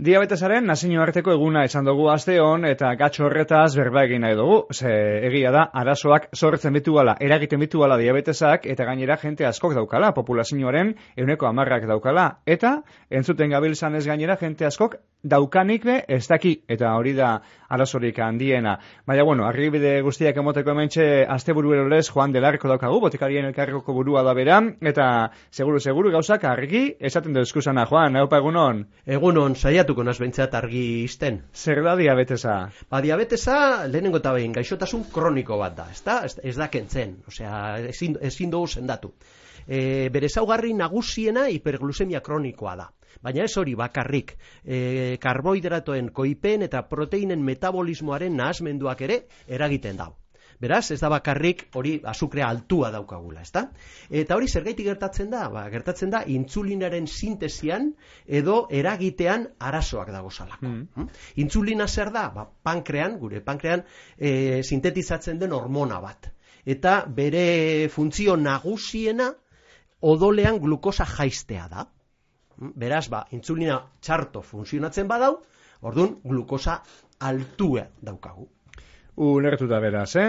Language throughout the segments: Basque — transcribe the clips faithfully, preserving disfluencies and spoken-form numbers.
diabetesaren nazioarteko eguna izan dugu aste hon eta gatxo horretaz berba egin nahi dugu. Ze egia da, arazoak sortzen bituala, eragiten bituala diabetesak eta gainera jente askok daukala, populazioaren ehuneko hamarrak daukala. Eta entzuten gabiltzan ez gainera jente askok daukanik be ez daki, eta hori da arazorik handiena. Baina, bueno, argibide guztiak emoteko hementxe asteburu erorez Juan del Arco daukagu, botikarien elkarreko burua da bera, eta seguru, seguru gauzak argi esaten dezkuzana. Juan, haupa egunon? Egunon, saiatuko naz behintzat argi izten. Zer da diabetesa? Ba, diabetesa lehenengo eta behin gaixotasun kroniko bat da, ezta? Ez, ez da kentzen, osea, ezin, ezin dugu sendatu. E, bere ezaugarri nagusiena hiperglusemia kronikoa da. Baina ez hori bakarrik, e, karbohidratoen koipen eta proteinen metabolismoaren nahasmenduak ere eragiten dau. Beraz, ez da bakarrik hori azukrea altua daukagula, ezta? Eta hori zergaitik gertatzen da? Ba, gertatzen da intsulinaren sintesian edo eragitean arazoak dagozalako. Mm. Intsulina zer da? Ba, pankrean, gure pankrean e, sintetizatzen den hormona bat. Eta bere funtzio nagusiena odolean glukosa jaistea da. Beraz, ba, intsulina txarto funtzionatzen badau, orduan glukosa altua daukagu. Ulertuta beraz, eh?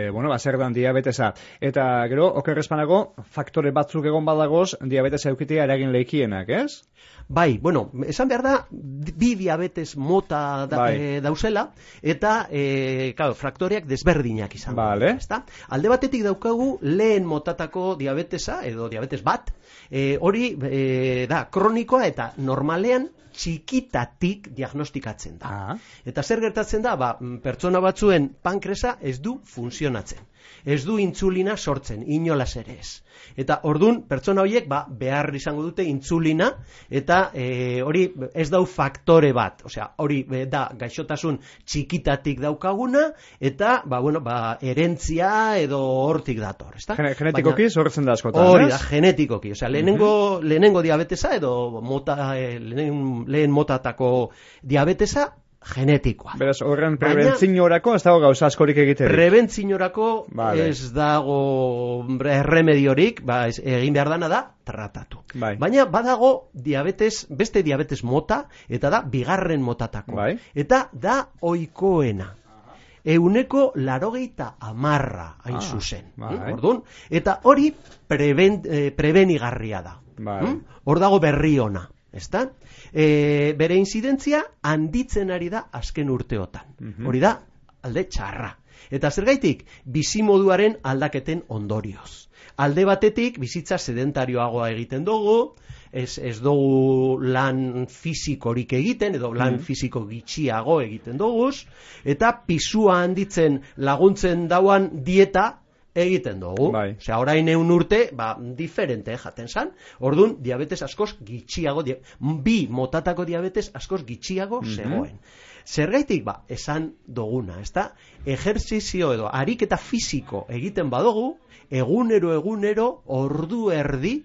E, bueno, ba, zer dan diabetesa. Eta gero, okerrezpanago, faktore batzuk egon badagoz, diabetesa eukitea eragin leikienak, ez? Bai, bueno, esan behar da, bi diabetes mota da, bai. e, dauzela, eta, e, claro, faktoreak desberdinak izan. Vale. Ezta? Alde batetik daukagu lehen motatako diabetesa, edo diabetes bat, e, hori e, da, kronikoa eta normalean txikitatik diagnostikatzen da. Ah. Eta zer gertatzen da, ba, pertsona batzuen pankresa ez du funtzionatzen. Ez du intsulina sortzen, inolaz ere ez. Eta ordun pertsona horiek ba, behar izango dute intsulina eta e, hori ez dau faktore bat. Osea, hori e, da gaixotasun txikitatik daukaguna eta ba, bueno, ba, herentzia edo hortik dator. Ezta? Genetikoki sortzen da askotan. Hori da, genetikoki. Osea, lehenengo, uh-huh. lehenengo diabetesa edo mota, e, lehen, lehen motatako diabetesa genetikoa. Beraz, horren prebentzinorako ez dago gauza askorik egiterik. Prebentzinorako vale. Ez dago erremediorik, ba, ez, egin behar dana da, tratatu. Bai. Baina badago diabetes, beste diabetes mota, eta da bigarren motatako. Bai. Eta da ohikoena. Euneko larogeita amarra hain ah, zuzen. bai. Orduan, eta hori preben, eh, prebenigarria da. Bai. Hor hm? dago berri ona. Ezta? E, bere inzidentzia handitzen ari da azken urteotan. Uh-huh. Hori da, alde txarra. Eta zergaitik, bizimoduaren aldaketen ondorioz. Alde batetik, bizitza sedentarioagoa egiten dugu, ez, ez dugu lan fisikorik egiten, edo lan uh-huh. fisiko gitxiago egiten dugu, eta pisua handitzen laguntzen dauan dieta egiten dugu. Bai. Osea, orain eun urte, ba, diferente jaten zan. Orduan, diabetes askoz gitxiago, dia... bi motatako diabetes askoz gitxiago mm-hmm. zegoen. Zergaitik, ba, esan duguna, ezta? Ejerzizio edo ariketa fisiko egiten badugu, egunero egunero ordu erdi,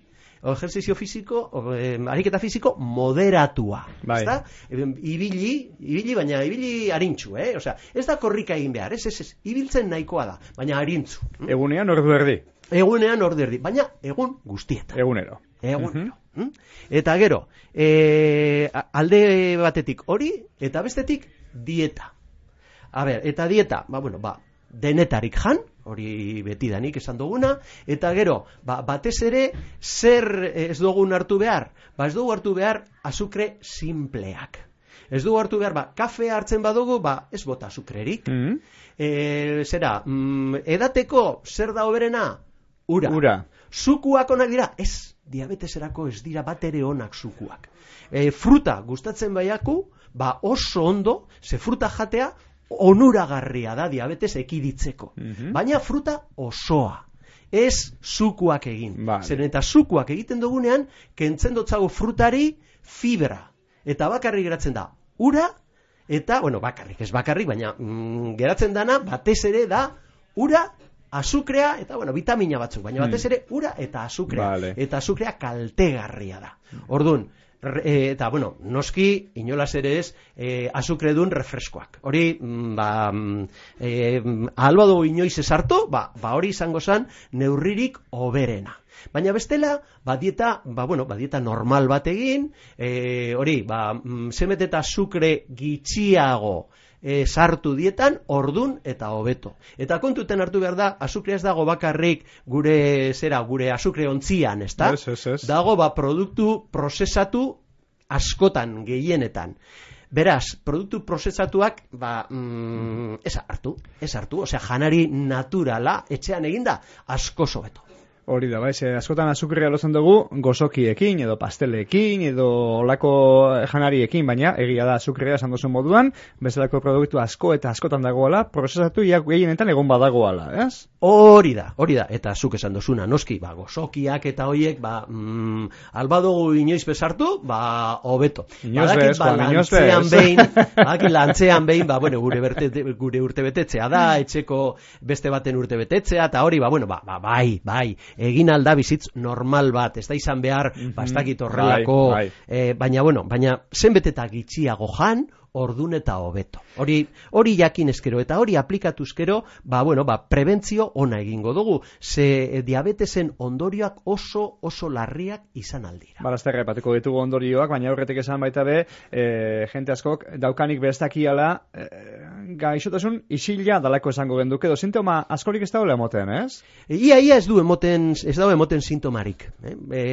o ejerzizio fisiko, o, eh, ariketa fisiko moderatua. Bai. Ezta? Ibili, ibili, baina ibili arintxu, eh? Osea, ez da korrika egin behar, ez, ez, ez, ibiltzen nahikoa da, baina arintzu. Egunean ordu erdi. Egunean ordu erdi, baina egun guztietan. Egunero. Egunero. Uh-huh. Eta gero, e, alde batetik hori, eta bestetik dieta. A ber, eta dieta, ba, bueno, ba, denetarik jan, hori betidanik esan duguna, eta gero, ba, batez ere, zer ez dugun hartu behar? Ba, ez dugu hartu behar azukre simpleak. Ez dugu hartu behar, ba, kafea hartzen badugu, ba, ez bota azukrerik. Mm-hmm. E, zera, mm, edateko, zer da hoberena? Ura. Ura. Zukuak onak dira? Ez, diabeteserako ez dira bat ere onak zukuak. E, fruta gustatzen baiaku, ba, oso ondo, ze fruta jatea, onuragarria da diabetes ekiditzeko. Mm-hmm. Baina fruta osoa. Ez zukuak egin. Vale. Zeren eta zukuak egiten dugunean, kentzen dotzago frutari fibra. Eta bakarrik geratzen da ura, eta, bueno, bakarrik, ez bakarrik, baina mm, geratzen dana, batez ere da ura, azukrea, eta, bueno, vitamina batzuk, baina batez ere ura eta azukrea. Vale. Eta azukrea kaltegarria da. Orduan, E, eta, bueno, noski, inolaz ere ez, e, azukredun refreskoak. Hori, ba, e, alba dugu inoiz esartu, ba, ba hori izango zen neurririk oberena. Baina bestela, ba dieta, ba, bueno, ba dieta normal bat egin, e, hori, ba, zemet eta azukre gitxiago e, sartu dietan, ordun eta hobeto. Eta kontuten hartu behar da, azukrea ez dago bakarrik gure, zera, gure azukre ontzian, ezta? Ez, ez, ez. Dago, ba, produktu prozesatu askotan, gehienetan. Beraz, produktu prozesatuak, ba, mm, ez hartu, ez hartu, osea, janari naturala, etxean eginda, asko hobeto. Hori da, baiz, askotan azukrea lotzen dugu gozokiekin, edo pastelekin, edo olako janariekin, baina egia da azukrea esan duzun moduan, bezalako produktu asko eta askotan dagoela, prozesatu gehienetan egon badagoela, ez? Hori da, hori da, eta zuk esan duzuna, noski, ba, gozokiak eta hoiek, ba, mm, albadugu inoiz bezartu, ba, hobeto. Inoiz bez, Juan, inoiz bez. Behin, badakit lantzean behin, ba, bueno, gure, berte, gure urte betetzea da, etxeko beste baten urte betetzea, eta hori, ba, bueno, ba, ba, bai, bai, egin alda bizitz normal bat, ez da izan behar, mm-hmm. ba, ez dakit horrelako, bai, bai. Eh, baina, bueno, baina zenbet eta gitxiago jan, ordun eta hobeto. Hori, hori jakin eskero, eta hori aplikatu eskero, ba, bueno, ba, prebentzio ona egingo dugu, ze e, diabetesen ondorioak oso, oso larriak izan aldira. Barazterra epateko ditugu ondorioak, baina aurretik esan baita be, e, jente askok daukanik bestakiala, e, gaixotasun isila dalako esango genduke, edo sintoma askorik ez dagoela emoten, ez? E, ia, ia ez du emoten, ez dago emoten sintomarik. Eh? E,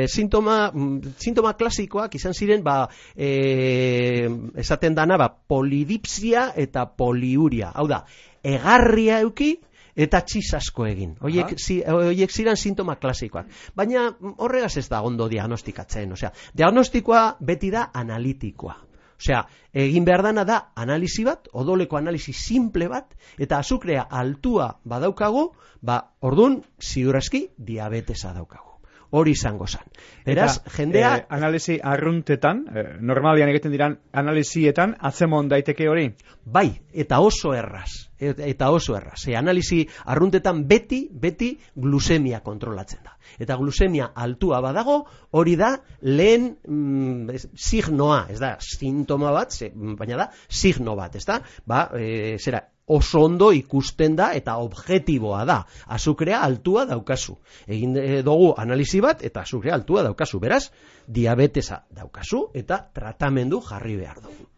sintoma, sintoma klasikoak izan ziren, ba, e, esaten dana, ba, polidipsia eta poliuria. Hau da, egarria euki eta txiz asko egin. Hoiek, zi, hoiek ziren sintoma klasikoak. Baina horregaz ez da ondo diagnostikatzen. Osea, diagnostikoa beti da analitikoa. Osea, egin behar dana da analisi bat, odoleko analisi simple bat, eta azukrea altua badaukagu, ba, ordun ziurazki diabetesa daukagu. Hori izango zen. Beraz, eta, jendea... Eh, analisi arruntetan, eh, normalian egiten diran analisietan, atzemon daiteke hori? Bai, eta oso erraz. Eta oso erraz. E, analisi arruntetan beti, beti glusemia kontrolatzen da. Eta glusemia altua badago, hori da lehen mm, signoa, ez da, sintoma bat, ze, baina da, signo bat, ez da? Ba, e, zera, oso ondo ikusten da eta objektiboa da. Azukrea altua daukazu. Egin dugu analisi bat eta azukrea altua daukazu. Beraz, diabetesa daukazu eta tratamendu jarri behar dugu.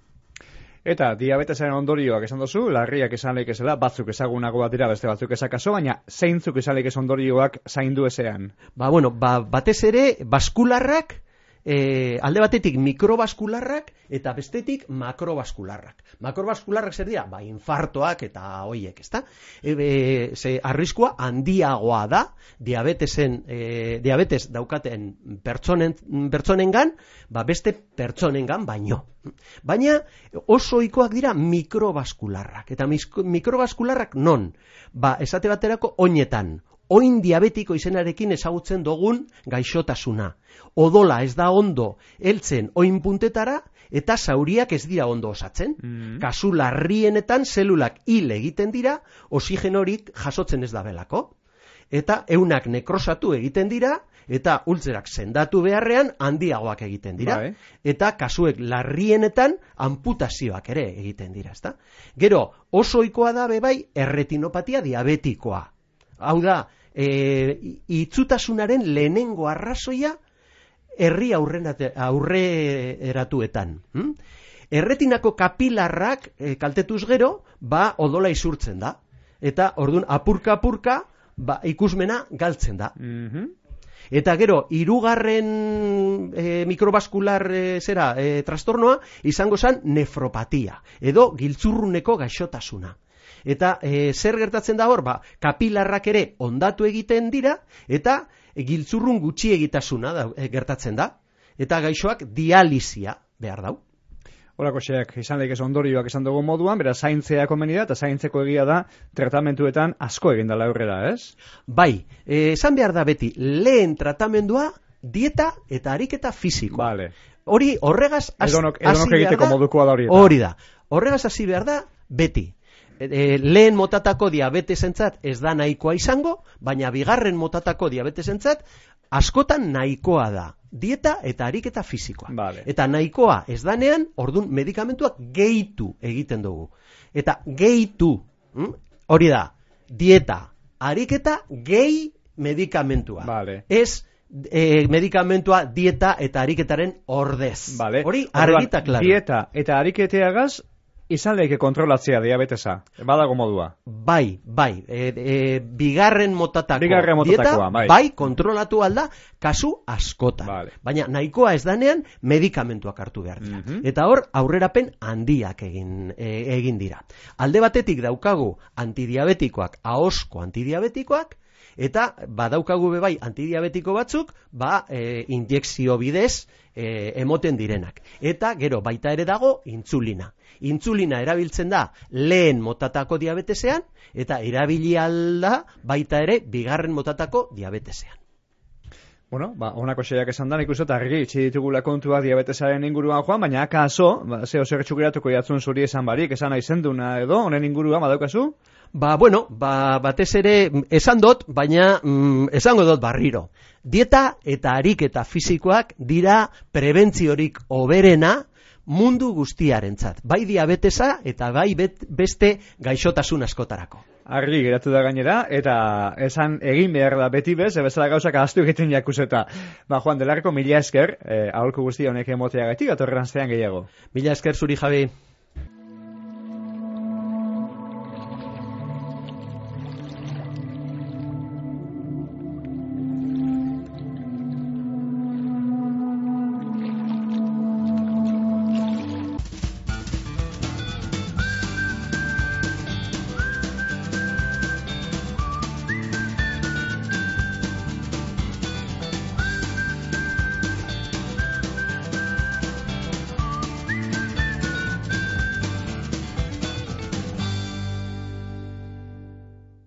Eta diabetesaren ondorioak esan duzu, larriak esan leik ezela, batzuk ezagunago bat dira, beste batzuk ezakaso, baina zeintzuk esan leik ez ondorioak zaindu ezean? Ba, bueno, ba, batez ere, baskularrak, E, alde batetik mikrobaskularrak eta bestetik makrobaskularrak. Makrobaskularrak zer dira? Ba, infartoak eta hoiek, ezta? E, e, ze arriskua handiagoa da diabetesen, e, diabetes daukaten pertsonen, pertsonengan, ba, beste pertsonengan baino. Baina oso ohikoak dira mikrobaskularrak. Eta mikrobaskularrak non? Ba, esate baterako oinetan. Oin diabetiko izenarekin ezagutzen dugun gaixotasuna. Odola ez da ondo heltzen oin puntetara eta zauriak ez dira ondo osatzen. Mm-hmm. Kasu larrienetan zelulak hil egiten dira, oxigenorik jasotzen ez da belako. Eta eunak nekrosatu egiten dira eta ultzerak sendatu beharrean handiagoak egiten dira. Bai. Eta kasuek larrienetan amputazioak ere egiten dira, ezta? Gero, oso ohikoa da bebai erretinopatia diabetikoa. Hau da, E, itzutasunaren lehenengo arrazoia herri aurreratuetan. Hm? Erretinako kapilarrak e, kaltetuz gero, ba odola isurtzen da. Eta orduan apurka-apurka ba, ikusmena galtzen da. Mm-hmm. Eta gero, hirugarren e, mikrobaskular e, zera e, trastornoa izango zen nefropatia edo giltzurruneko gaixotasuna. Eta e, zer gertatzen da hor, ba, kapilarrak ere ondatu egiten dira, eta e, giltzurrun gutxi egitasuna da, e, gertatzen da, eta gaixoak dializia behar dau. Horako xeak, izan leik ez ondorioak esan dugu moduan, bera zaintzea komeni da, eta zaintzeko egia da tratamentuetan asko egin dela aurrera, ez? Bai, e, esan behar da beti, lehen tratamendua dieta eta ariketa fisikoa. Vale. Hori horregaz hasi edonok, edonok egiteko modukoa da hori. Hori da, horregaz hasi behar da beti. E, lehen motatako diabetesentzat ez da nahikoa izango, baina bigarren motatako diabetesentzat askotan nahikoa da. dieta eta ariketa fisikoa. Vale. Eta nahikoa ez danean, ordun medikamentuak gehitu egiten dugu. Eta gehitu, hm? hori da, dieta, ariketa, gehi medikamentua. Vale. Ez e, medikamentua, dieta eta ariketaren ordez. Vale. Hori argita klaro. Dieta eta ariketeagaz izan leike kontrolatzea diabetesa. Badago modua. Bai, bai. E, e, bigarren motatako Bigarren motatakoa, dieta, bai. bai, kontrolatu alda kasu askotan. Vale. Baina nahikoa ez danean medikamentuak hartu behar dira. Mhm. Eta hor aurrerapen handiak egin, e, egin dira. Alde batetik daukagu antidiabetikoak, ahosko antidiabetikoak, eta badaukagu bebai antidiabetiko batzuk, ba, e, injekzio bidez e, emoten direnak. Eta gero baita ere dago intzulina. Intzulina erabiltzen da lehen motatako diabetesean, eta erabili alda baita ere bigarren motatako diabetesean. Bueno, ba, honako xeak esan da, nik uste eta argi itxi ditugula kontua diabetesaren inguruan joan, baina akaso, ba, zeo zer txukeratuko jatzun zuri esan barik, esan nahi zenduna edo, honen inguruan badaukazu? Ba, bueno, ba, batez ere esan dut, baina mm, esango dut barriro. Dieta eta ariketa fisikoak dira prebentziorik hoberena mundu guztiarentzat. Bai diabetesa eta bai bet, beste gaixotasun askotarako. Argi geratu da gainera, eta esan egin behar da beti bez, ebezala gauzak ahaztu egiten jakuseta. Ba, Juan Delarko, mila esker, eh, aholku guzti honek emoteagatik, atorren zean gehiago. Mila esker zuri, Javi.